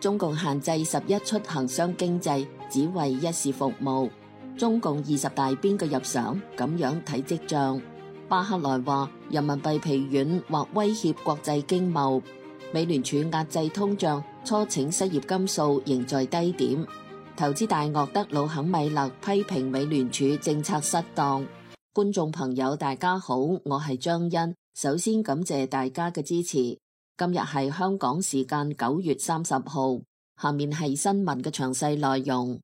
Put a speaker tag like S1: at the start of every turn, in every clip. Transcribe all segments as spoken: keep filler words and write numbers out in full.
S1: 中共限制十一出行商經濟，只為一事服務。中共二十大邊個入常？咁樣睇跡象。巴克萊話人民幣疲軟或威脅國際經貿。美聯儲壓制通脹，初請失業金數仍在低點。投資大鱷德魯肯米勒批評美聯儲政策失當。觀眾朋友大家好，我係張欣，首先感謝大家嘅支持。今日係香港時間九月三十號，下面係新聞嘅詳細內容。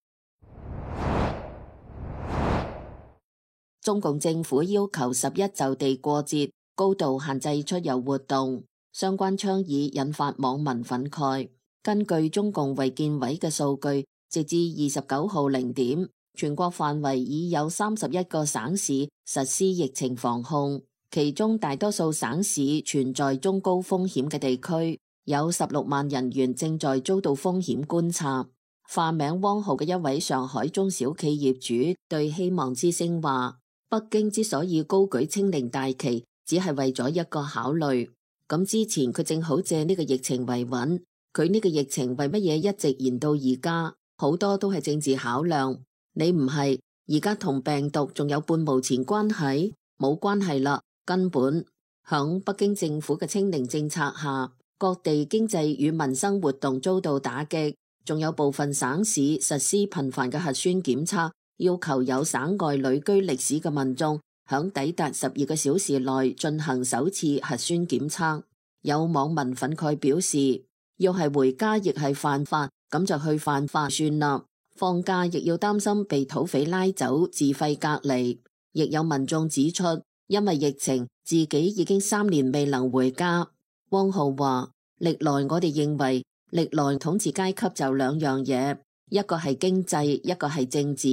S1: 中共政府要求十一就地過節，高度限制出遊活動，相關倡議引發網民憤慨。根據中共衛健委嘅數據，直至二十九號零點，全國範圍已有三十一個省市實施疫情防控。其中大多數省市存在中高風險嘅地區，有十六萬人員正在遭到風險觀察。化名汪浩嘅一位上海中小企業主對希望之聲話：北京之所以高舉清零大旗，只係為咗一個考慮。咁之前佢正好借呢個疫情維穩，佢呢個疫情為乜嘢一直延到而家？好多都係政治考量。你唔係而家同病毒仲有半毛錢關係？冇關係啦。根本響北京政府嘅清零政策下，各地經濟與民生活動遭到打擊，仲有部分省市實施頻繁嘅核酸檢測，要求有省外旅居歷史嘅民眾響抵達十二個小時內進行首次核酸檢測。有網民憤慨表示，要係回家亦係犯法，咁就去犯法算啦。放假亦要擔心被土匪拉走自費隔離。亦有民眾指出，因為疫情，自己已經三年未能回家。汪浩話：歷來我哋認為，歷來統治階級就兩樣嘢，一個係經濟，一個係政治。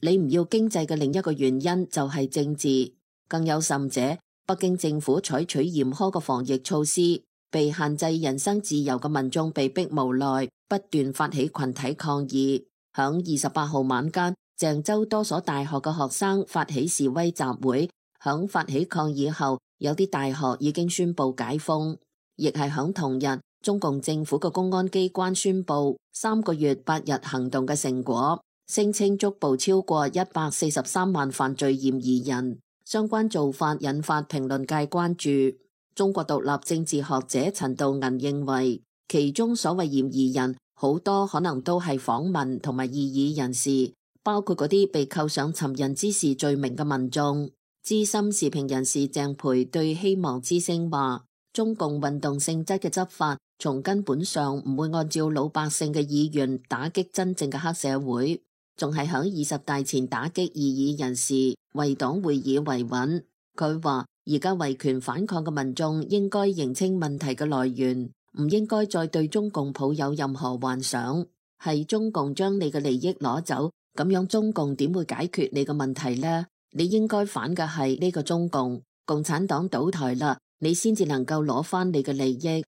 S1: 你唔要經濟嘅另一個原因就係政治。更有甚者，北京政府採取嚴苛嘅防疫措施，被限制人身自由嘅民眾被逼無奈，不斷發起群體抗議。響二十八號晚間，鄭州多所大學嘅學生發起示威集會。響發起抗議後，有啲大學已經宣布解封。亦係響同日，中共政府嘅公安機關宣布三個月八日行動嘅成果，聲稱捉捕超過一百四十三萬犯罪嫌疑人。相關做法引發評論界關注。中國獨立政治學者陳道銀認為，其中所謂嫌疑人好多可能都係訪民同埋異議人士，包括嗰啲被扣上尋釁滋事罪名嘅民眾。資深時評人士鄭培對希望之聲話：中共運動性質嘅執法，從根本上唔會按照老百姓嘅意願打擊真正嘅黑社會，仲係響二十大前打擊異議人士，為黨會議維穩。佢話：而家維權反抗嘅民眾應該認清問題嘅來源，唔應該再對中共抱有任何幻想。係中共將你嘅利益攞走，咁樣中共點會解決你嘅問題呢？你應該反嘅係呢個中共，共產黨倒台啦，你先至能夠攞翻你嘅利益。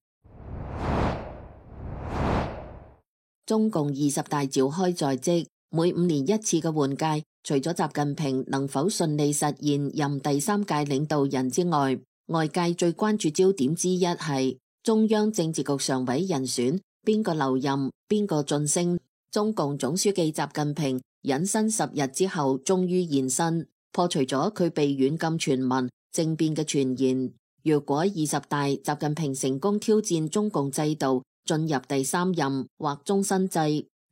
S1: 中共二十大召開在即，每五年一次嘅換屆，除咗習近平能否順利實現任第三屆領導人之外，外界最關注焦點之一係中央政治局常委人選，邊個留任，邊個晉升。中共總書記習近平隱身十日之後，終於現身，破除咗佢被軟禁傳聞政變嘅傳言。如果二十大習近平成功挑戰中共制度，進入第三任或終身制，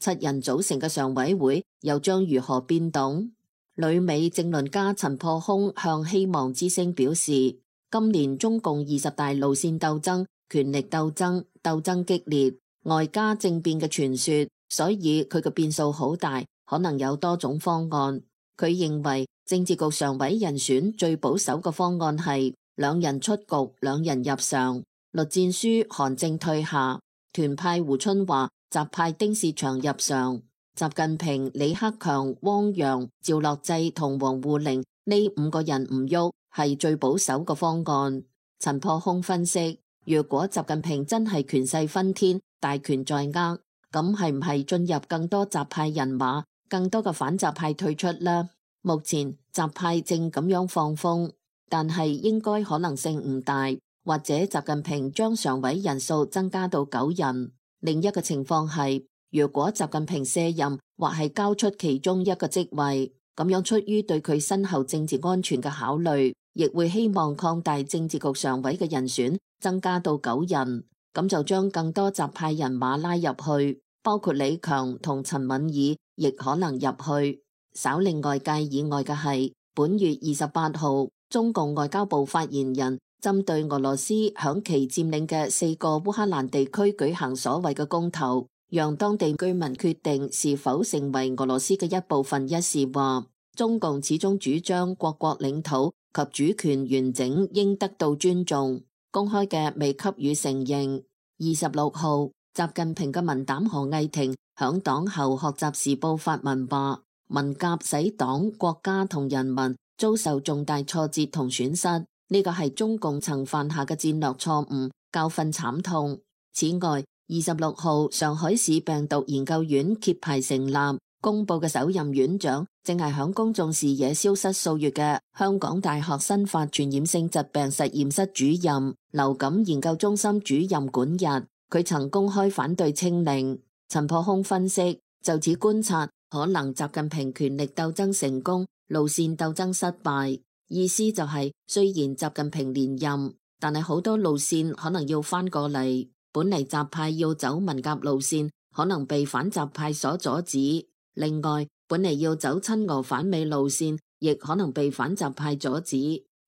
S1: 七人組成嘅常委會又將如何變動？旅美政論家陳破空向希望之聲表示，今年中共二十大路線鬥爭、權力鬥爭、鬥爭激烈，外加政變嘅傳說，所以佢嘅變數好大，可能有多種方案。佢認為政治局常委人選最保守嘅方案係兩人出局，兩人入常。栗戰書、韓正退下，團派胡春華、習派丁薛祥入常。習近平、李克強、汪洋、趙樂際同王滬寧呢五個人唔喐，係最保守嘅方案。陳破空分析，如果習近平真係權勢熏天，大權在握，咁係唔係進入更多習派人馬，更多嘅反習派退出呢？目前習派正咁樣放風，但係應該可能性唔大，或者習近平將常委人數增加到九人。另一個情況係，如果習近平卸任或係交出其中一個職位，咁樣出於對佢身後政治安全嘅考慮，亦會希望擴大政治局常委嘅人選，增加到九人，咁就將更多習派人馬拉入去，包括李強同陳敏爾亦可能入去。稍令外界以外嘅係，本月二十八號，中共外交部發言人針對俄羅斯響其佔領嘅四個烏克蘭地區舉行所謂嘅公投，讓當地居民決定是否成為俄羅斯嘅一部分一事話，中共始終主張各國領土及主權完整應得到尊重，公開嘅未給予承認。二十六號，習近平嘅文膽何毅霆響黨後學習時報發文話，文革使黨、國家同人民遭受重大挫折同損失，呢個係中共曾犯下嘅戰略錯誤，教訓慘痛。此外，二十六號上海市病毒研究院揭牌成立，公布嘅首任院長正係響公眾視野消失數月嘅香港大學新發傳染性疾病實驗室主任、流感研究中心主任管日，佢曾公開反對清零。陳破空分析，就此觀察，可能習近平權力鬥爭成功，路線鬥爭失敗。意思就係、是，雖然習近平連任，但係好多路線可能要翻過嚟。本嚟習派要走文革路線，可能被反習派所阻止。另外，本嚟要走親俄反美路線，亦可能被反習派阻止。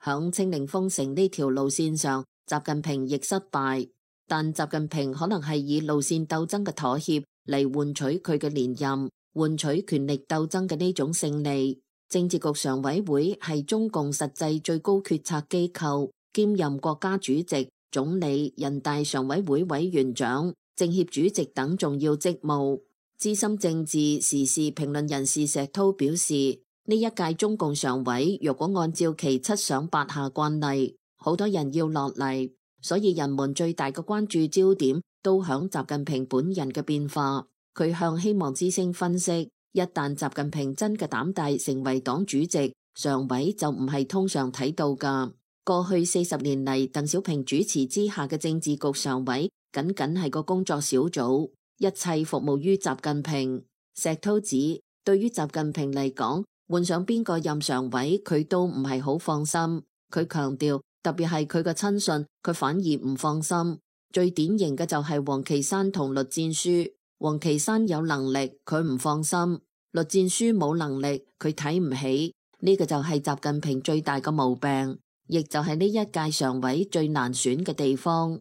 S1: 響清零封城呢條路線上，習近平亦失敗。但習近平可能係以路線鬥爭嘅妥協嚟換取佢嘅連任，換取權力鬥爭嘅呢種勝利。政治局常委會係中共實際最高決策機構，兼任國家主席、總理、人大常委會委員長、政協主席等重要職務。資深政治時事評論人士石濤表示，呢一屆中共常委若果按照其七上八下慣例，好多人要落嚟。所以人們最大嘅關注焦點都響習近平本人嘅變化。佢向希望之聲分析，一旦習近平真嘅膽大成為黨主席，常委就唔係通常睇到噶。過去四十年嚟，鄧小平主持之下嘅政治局常委僅僅係個工作小組，一切服務於習近平。石濤指，對於習近平嚟講，換上邊個任常委，佢都唔係好放心。佢強調，特別係佢嘅親信，佢反而唔放心。最典型嘅就係王岐山同栗戰書。王岐山有能力，佢唔放心；栗戰書冇能力，佢睇唔起。呢、這個就係習近平最大嘅毛病，亦就係呢一屆常委最難選嘅地方。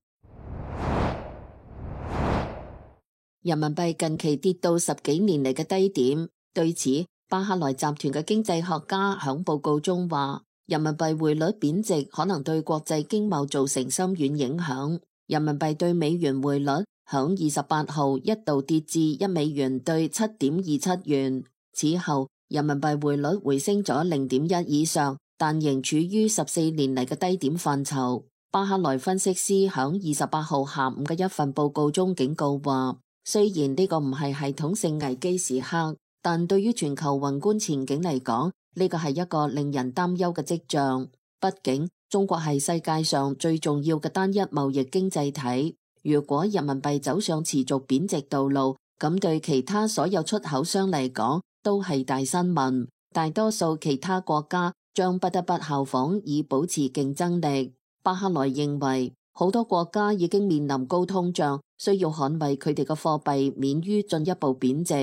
S1: 人民幣近期跌到十幾年嚟嘅低點，對此，巴克萊集團嘅經濟學家響報告中話，人民幣匯率貶值可能對國際經貿造成深遠影響。人民幣對美元匯率響二十八號一度跌至一美元對七點二七元，此後人民幣匯率回升咗零點一以上，但仍處於十四年嚟嘅低點範疇。巴克萊分析師響二十八號下午嘅一份報告中警告話，雖然呢個唔係系統性危機時刻，但對於全球宏觀前景嚟講，呢個係一個令人擔憂嘅跡象。畢竟中國係世界上最重要嘅單一貿易經濟體，如果人民幣走上持續貶值道路，咁對其他所有出口商嚟講都係大新聞。大多數其他國家將不得不效仿以保持競爭力。巴克萊認為，好多國家已經面臨高通脹，需要捍衛佢哋嘅貨幣免於進一步貶值。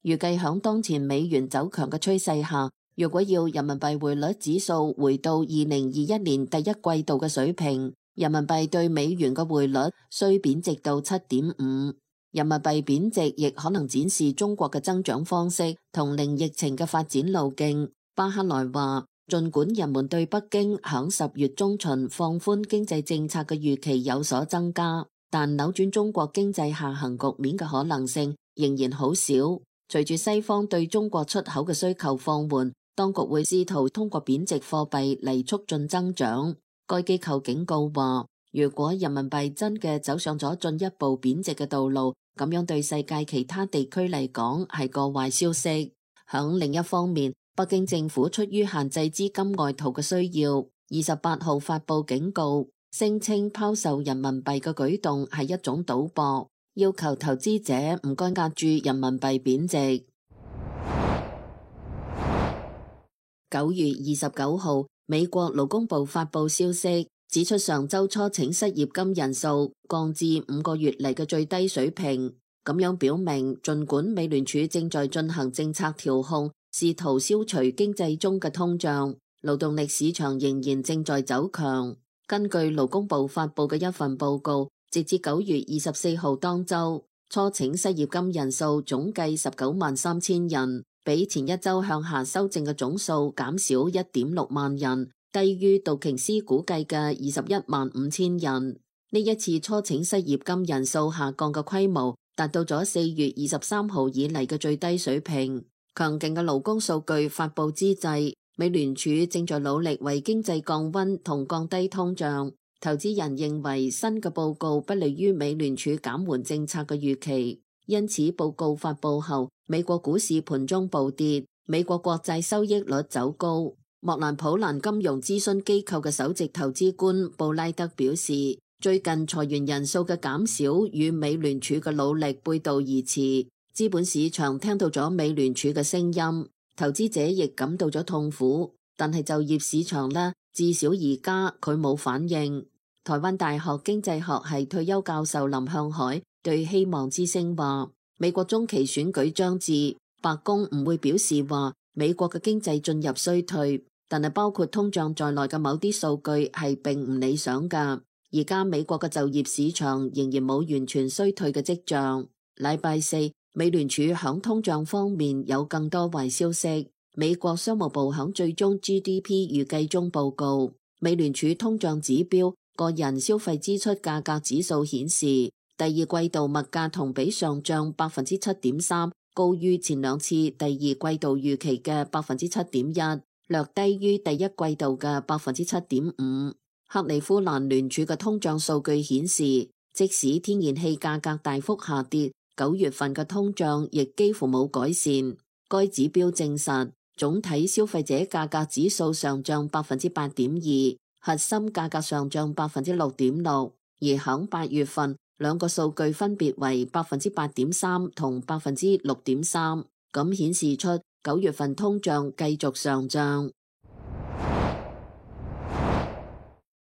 S1: 預計響當前美元走強嘅趨勢下，如果要人民幣匯率指數回到二零二一年第一季度嘅水平，人民幣對美元嘅匯率需貶值到七點五。人民幣貶值亦可能展示中國嘅增長方式同零疫情嘅發展路徑。巴克萊話，儘管人們對北京響十月中旬放寬經濟政策嘅預期有所增加，但扭轉中國經濟下行局面嘅可能性仍然好少。隨住西方對中國出口嘅需求放緩，當局會試圖通過貶值貨幣嚟促進增長。該機構警告話，如果人民幣真嘅走上咗進一步貶值嘅道路，咁樣對世界其他地區嚟講係個壞消息。響另一方面，北京政府出於限制資金外逃嘅需要，二十八號發佈警告，聲稱拋售人民幣嘅舉動係一種賭博。要求投資者唔該壓住人民幣貶值。九月二十九號，美國勞工部發布消息，指出上週初請失業金人數降至五個月嚟嘅最低水平，咁樣表明儘管美聯儲正在進行政策調控，試圖消除經濟中嘅通脹，勞動力市場仍然正在走強。根據勞工部發布嘅一份報告，直至九月二十四號當週，初請失業金人數總計十九萬三千人，比前一週向下修正嘅總數減少一點六萬人，低於道瓊斯估計嘅二十一萬五千人。呢一次初請失業金人數下降嘅規模達到咗四月二十三號以嚟嘅最低水平。強勁嘅勞工數據發布之際，美聯儲正在努力為經濟降溫同降低通脹。投資人認為新嘅報告不利於美聯儲減緩政策嘅預期，因此報告發布後，美國股市盤中暴跌，美國國債收益率走高。莫蘭普蘭金融諮詢機構嘅首席投資官布拉德表示，最近裁員人數嘅減少與美聯儲嘅努力背道而馳，資本市場聽到咗美聯儲嘅聲音，投資者亦感到咗痛苦，但係就業市場呢，至少而家佢冇反應。台灣大學經濟學系退休教授林向海對希望之聲話，美國中期選舉將至，白宮唔會表示話美國嘅經濟進入衰退，但係包括通脹在內嘅某啲數據係並唔理想㗎。而家美國嘅就業市場仍然冇完全衰退嘅跡象。禮拜四，美聯儲響通脹方面有更多壞消息。美國商務部響最終 G D P 預計中報告，美聯儲通脹指標個人消費支出價格指數顯示，第二季度物價同比上漲百分之七點三，高於前兩次第二季度預期嘅百分之七點一，略低於第一季度嘅百分之七點五。克利夫蘭聯儲嘅通脹數據顯示，即使天然氣價格大幅下跌，九月份嘅通脹亦幾乎冇改善。該指標證實，總體消費者價格指數上漲百分之八點二。核心價格上漲百分之六點六，而響八月份兩個數據分別為百分之八點三同百分之六點三，咁顯示出九月份通脹繼續上漲。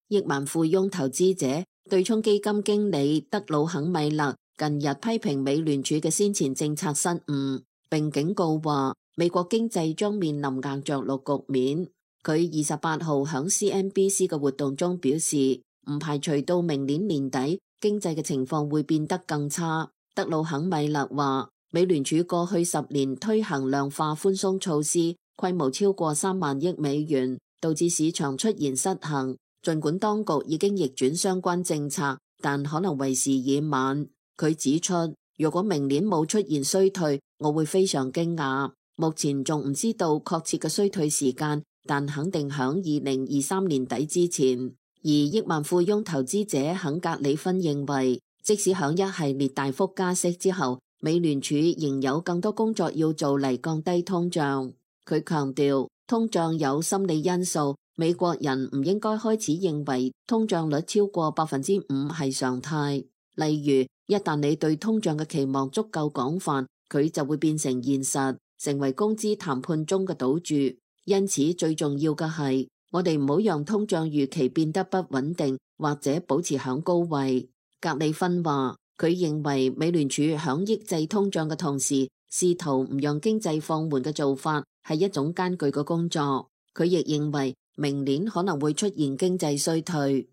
S1: 億萬富翁投資者對沖基金經理德魯肯米勒近日批評美聯儲嘅先前政策失誤，並警告話美國經濟將面臨硬着陸局面。佢二十八號響 C N B C 嘅活動中表示，唔排除到明年年底經濟嘅情況會變得更差。德魯肯米勒話，美聯儲過去十年推行量化寬鬆措施，規模超過三萬億美元，導致市場出現失衡。儘管當局已經逆轉相關政策，但可能為時已晚。佢指出，如果明年冇出現衰退，我會非常驚訝。目前仲唔知道確切嘅衰退時間，但肯定響二零二三年底之前。而億萬富翁投資者肯格里芬認為，即使響一系列大幅加息之後，美聯儲仍有更多工作要做嚟降低通脹。佢強調，通脹有心理因素，美國人唔應該開始認為通脹率超過百分之五係常態。例如，一旦你對通脹嘅期望足夠廣泛，佢就會變成現實，成為工資談判中嘅賭注。因此最重要嘅係，我哋唔好讓通脹預期變得不穩定，或者保持響高位。格里芬話，佢認為美聯儲響抑制通脹嘅同時，試圖唔讓經濟放緩嘅做法係一種艱巨嘅工作。佢亦認為明年可能會出現經濟衰退。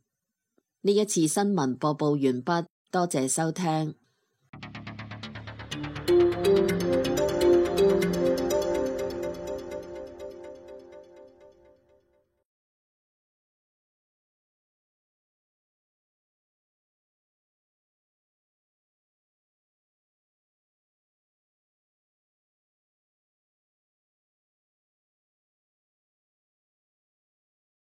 S1: 呢一次新聞播報完畢，多謝收聽。